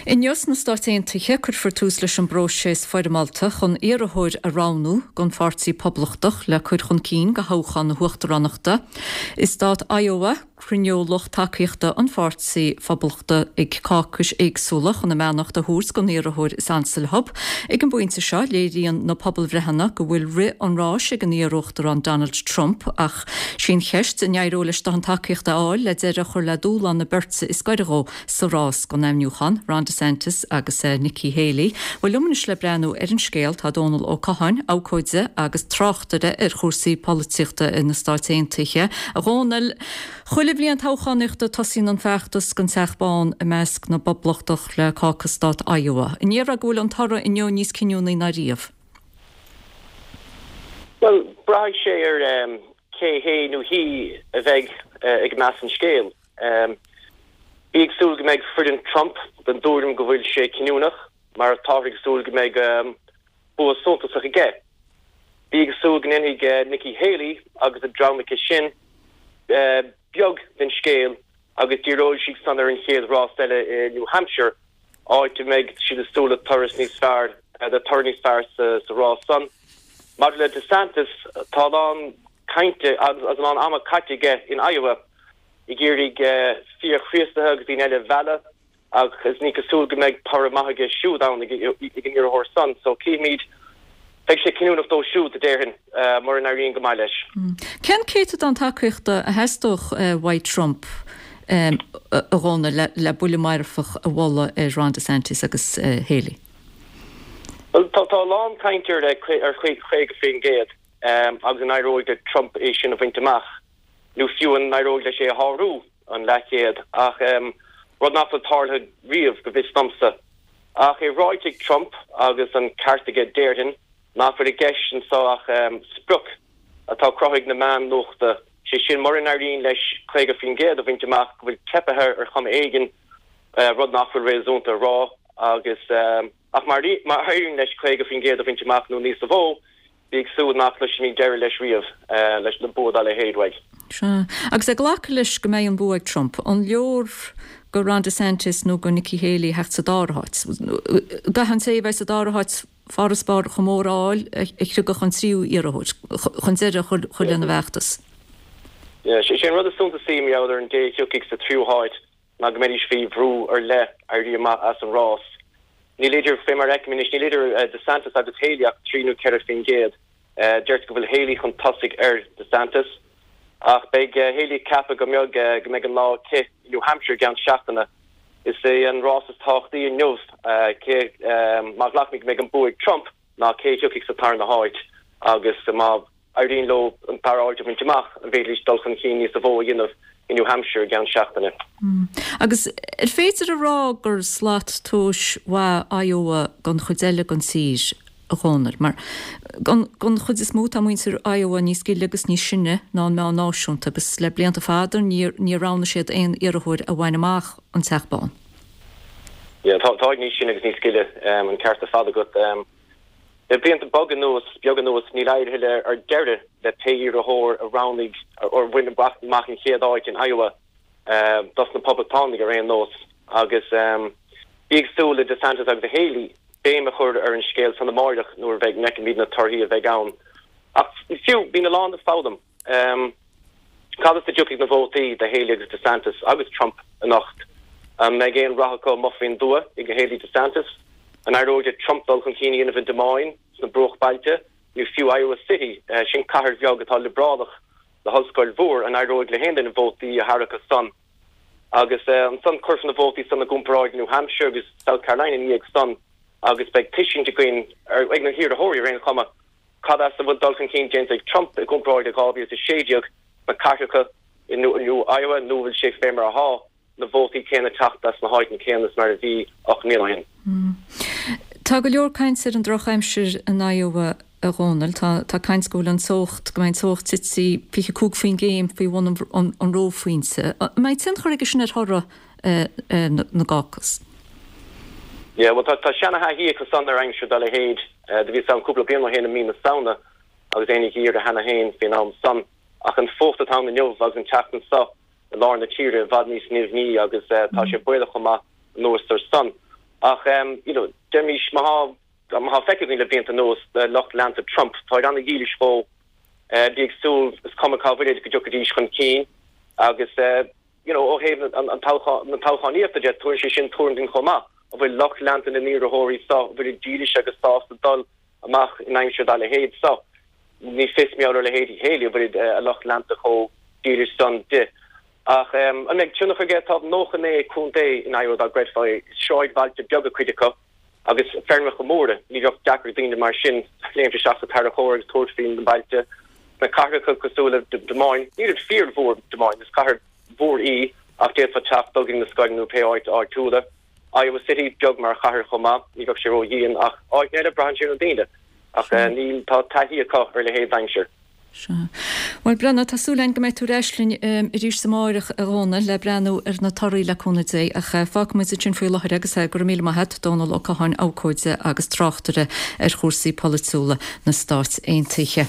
Inniu sna Stáit Aontaithe, cuirfear tús leis an bpróiseas foirmeálta chun iarrthóir a roghnú don Pháirtí Poblachtach le cur chun cinn do thoghchán na huachtaránachta. I stát Iowa, cruinneoidh lucht tacaíochta an Pháirtí Phoblachtaigh cácais éagsúla chun a mbeannacht a thabhairt don iarrthóir is ansa leo. Ag an bpointe seo, léiríonn na pobalbhreitheanna go bhfuil rith an ráis ag an iar-uachtarán Donald Trump ach sí an cheist an éireoidh leis dóthain tacaíochta a fháil le deireadh a chur le dúshlán na beirte is gaire dhó sa rás don ainmniúchán, Ron DeSantis agus Nikki Haley. Bhuel, liom anois le breathnú ar an scéal tá Dónal Ó Catháin, abhcóide agus tráchtaire ar chúrsaí polaitíochta na Stáit Aontaithe. A Dhónaill, chuile bhliain toghchánaíochta tosaíonn an feachtas don Teach Bán i measc na bPoblachtach le cácas stát Iowa. An ndéarfá go bhfuil an toradh inniu níos cinniúnaí ná riamh? Bhuel, braithfidh sé ar cé hé nó hí a bheidh ag meas an scéil. Bí ag súil go mbeidh foireann Trump den dtuairim go bhfuil sé cinniúnach, mar táthar ag súil go mbeidh bua suntasach aige. Bí ag súil go ndéanfaidh Nikki Haley agus a dream aici sin beag den scéal agus díreoidh siad san ar an chéad rás eile i New Hampshire, áit a mbeidh siad ag súil le turas níos fearr, le toradh níos fearr sa rás san. Maidir le DeSantis, tá a lán cainte agus a lán ama caite aige in Iowa ag iarraidh fíor-Chríostaithe agus daoine eile a mhealladh agus ní cosúil go mbeidh toradh maith aige siúd ann, ag an iarrthóir san. So cífimid. Beidh sé cinniúnach dó siúd, a déarfainn, mura n-éiríonn go maith leis. Cén céatadán tacaíochta a theastódh uaidh Trump, a Dhónaill, le buille marfach a bhualadh ar Ron DeSantis agus Haley? Bhuel, tá a lán cainte ar 50% agus an éireoidh le Trump é sin a bhaint amach, nó fiú an éireoidh leis é a shárú, an leathchéad, ach rud nach bhfuil tarlaithe riamh, go bhfios domsa. Ach é ráite ag Trump, agus an ceart aige déarfainn, nach bhfuil i gceist anso ach sprioc atá cruthaithe ag na meáin nuachta, sé sin mura n-éiríonn leis 50% a bhaint amach go bhfuil teipthe air ar chuma éigin, rud nach bhfuil réasúnta a rá, agus ach má éiríonn leis 50% a bhaint amach nó níosa mhó, Bí ag súil nach gcloisfimid deireadh leis riamh, leis le bua dá leithéid uaidh. Sea. Agus ag glacadh leis go mbeidh an bua ag Trump, an leor go Ron DeSantis nó go Nikki Haley theacht sa dara háit? Caithfidh an té a bheidh sa dara háit farasbarr chomh mór a fháil a chriogfadh an tríú iarrthóir chun deireadh a chur lena bhfeachtas. Sé an rud is suntasaí mar gheall ar an dté a thiocfaidh sa tríú háit ná go mbeidís faoi bhrú ar leith éirí amach as an rás. Níl idir, fé mar a fheicim anois, níl idir DeSantis agus Haley ach 3 nó 4%. Deirtear go bhfuil Haley chun tosaigh ar DeSantis. Ach beidh Haley ag ceapadh go mbeidh, go mbeidh an lá aici i New Hampshire i gceann seachtaine. Is é an rás is tábhachtaí inniu, cé, má ghlacaimid go mbeidh an bua ag Trump, ná cé a thiocfaidh sa tarna háit agus má éiríonn leo an dara háit a bhaint amach, an bhféadfaidís dul chun cinn níosa mhó a dhéanamh i New Hampshire i gceann seachtaine. Agus ar féidir a rá gur slat tomhais mhaith Iowa don chuid eile den tír, a Dhónaill? Mar don chuid is mó tá muintir Iowa níos gile agus níos sine ná an meán náisiúnta agus le blianta fada níor roghnaigh siad aon iarrthóir a bhain amach an Teach Bán. Yeah, tá, táid níos sine agus níos gile, an ceart ar fad agat. Le blianta beaga anuas, beag anuas, níl éirithe le ar deireadh le pé iarrthóir a roghnaigh or a bhain amach an chéad áit in Iowa, dos na Poblachtánaigh ar aon nós. Agus bí ag súil le DeSantis agus Haley béim a chur ar an scéal san amáireach nuair a bheidh, bhfeicfimid na torthaí a bheidh ann. Ach fiú, bíonn a lán le foghlaim. Cad as a dtiocfaidh na vótaí do Haley agus DeSantis agus Trump anocht? An mbeidh aon rath acu amuigh faoin dtuath ag Haley DeSantis? An éireoidh le Trump dul chun cinn a dhéanamh i Des Moines, sna bruachbailte, nó fiú Iowa City, sin cathair bheag atá liobrálach le hollscoil mhór, an éireoidh le haon duine vótaí a tharrac as san? Agus ansan cuirfear na vótaí san i gcomparáid le New Hampshire agus South Carolina ina dhiaidh san agus beidh tuiscint againn, ag na hiarrthóirí ar aon chuma, Cad as a bhfuil dul chun cinn déanta ag Trump i gcomparáid le 2016 sna cathracha i Iowa nó bhfuil sé fé mar athá, na vótaí céanna ag teacht as na háiteanna céanna is mar a bhí 8 mbliana ó shin? Tá go leor cainte ar an drochaimsir in Iowa, a Dhónaill. Tá caint go bhfuil an teocht, go mbeidh an teocht tite 25 faoin gcéim faoi bhun an reophointe. An mbeidh tionchar aige sin ar thoradh na gcácas? Yeah, bhuel tá seana-thaithí acu san ar aimsir dá leithéid. Do bhíos ann cúpla bliain ó shin i mí na Samhna agus é ina gheimhreadh cheana féin faoin am san. Ach an fuacht atá ann inniu agus an tseachtain seo i lár na tíre i bhfad níos nimhní agus tá sé baolach chomh maith anuas ar san. Ach you know, deirimis má tá, má tá feicthe againn le blianta anuas, lucht leanta Trump, táid ana-dhílis dhó, bí ag súil, is cuma cá bhfuilid, go dtiocfaidís chun cinn agus you know, ó thaobh an toghchán, na toghchánaíochta de, tugann sé sin tuairim dúinn chomh maith, an bhfuil lucht leanta na n-iarrthóirí so, an bhfuilid dílis agus sásta dul amach in aimsir dá leithéid so. Ní fios mar gheall ar leithéidí Haley, an bhfuil a lucht leanta chomh dílis san di. Ach an mbeidh tionchar aige? Tá 99 contae in Iowa dá gcreidfeá é. Is sráidbhailte beaga cuid acu agus feirmeacha móra. Ní bheadh deacair ag daoine mar sin léimt isteach sa tarracóir agus tabhairt faoi na bailte. Sna cathracha cosúil le Des Moines, nílid fíormhór Des Moines, is cathair mhór í ach d'fhéadfá teacht dul go dtí na scoileanna nó pé áit áitiúla. Iowa City, beag mar chathair chomh maith, ní bheadh sé ró-dhian ach áiteanna eile, braitheann sé ar na daoine. Ach níl, tá taithí acu ar a leithéid d'aimsir. Sea. Bhuel, Breandán, tá súil againn go mbeidh tú ar ais linn arís amáireach, a Dhónaill, le breathnú ar na torthaí le cúnamh Dé. Ach fágfaidh muid ansin faoi láthair agus go raibh míle maith agat, Dónall Ó Catháin, abhcóide agus tráchtaire ar chúrsaí polaitiúla na Stát Aontaithe.